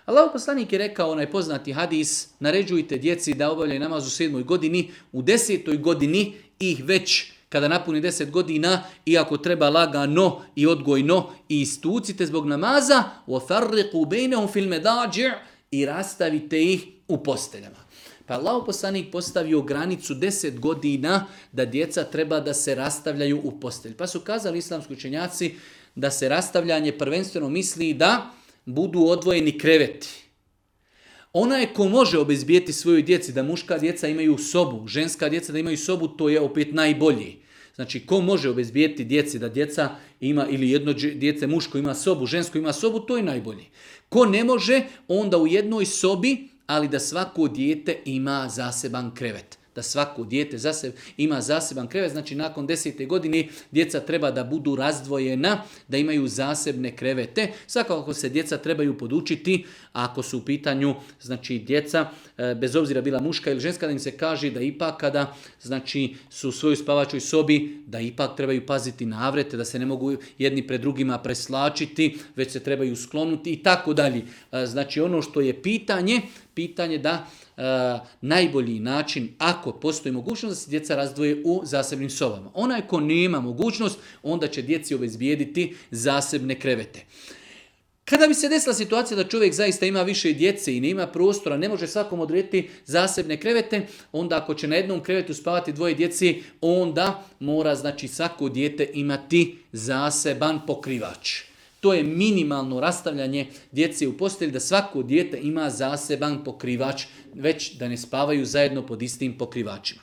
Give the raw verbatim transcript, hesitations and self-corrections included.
Allahov poslanik je rekao onaj poznati hadis, naređujte djeci da obavljaju namaz u sedmoj godini, u desetoj godini ih već kada napuni deset godina, iako treba lagano i odgojno, i istucite zbog namaza, وَفَرِّقُوا بَيْنَهُمْ فِي الْمَدَاجِعِ i rastavite ih u posteljama. Pa Allahov poslanik postavio granicu deset godina da djeca treba da se rastavljaju u postelj. Pa su kazali islamski učenjaci da se rastavljanje prvenstveno misli da budu odvojeni kreveti. Onaj ko može obezbijeti svojoj djeci da muška djeca imaju sobu, ženska djeca da imaju sobu, to je opet najbolji. Znači, ko može obezbijeti djeci da djeca ima, ili jedno djece muško ima sobu, žensko ima sobu, to je najbolji. Ko ne može, onda u jednoj sobi, ali da svako dijete ima zaseban krevet. Da svako dijete zaseb, ima zaseban krevet, znači nakon desete godine djeca treba da budu razdvojena, da imaju zasebne krevete. Svakako se djeca trebaju podučiti, ako su u pitanju znači djeca, bez obzira bila muška ili ženska, da im se kaže da ipak kada znači, su u svojoj spavačoj sobi, da ipak trebaju paziti navrete, da se ne mogu jedni pred drugima preslačiti, već se trebaju sklonuti i tako dalje. Znači ono što je pitanje, pitanje da e, najbolji način, ako postoji mogućnost, da se djeca razdvoje u zasebnim sobama. Onaj ko nema mogućnost, onda će djeci obezbijediti zasebne krevete. Kada bi se desila situacija da čovjek zaista ima više djece i ne ima prostora, ne može svakom odrediti zasebne krevete, onda ako će na jednom krevetu spavati dvoje djece, onda mora znači svako dijete imati zaseban pokrivač. To je minimalno rastavljanje djece u postelji, da svako dijete ima zaseban pokrivač, već da ne spavaju zajedno pod istim pokrivačima.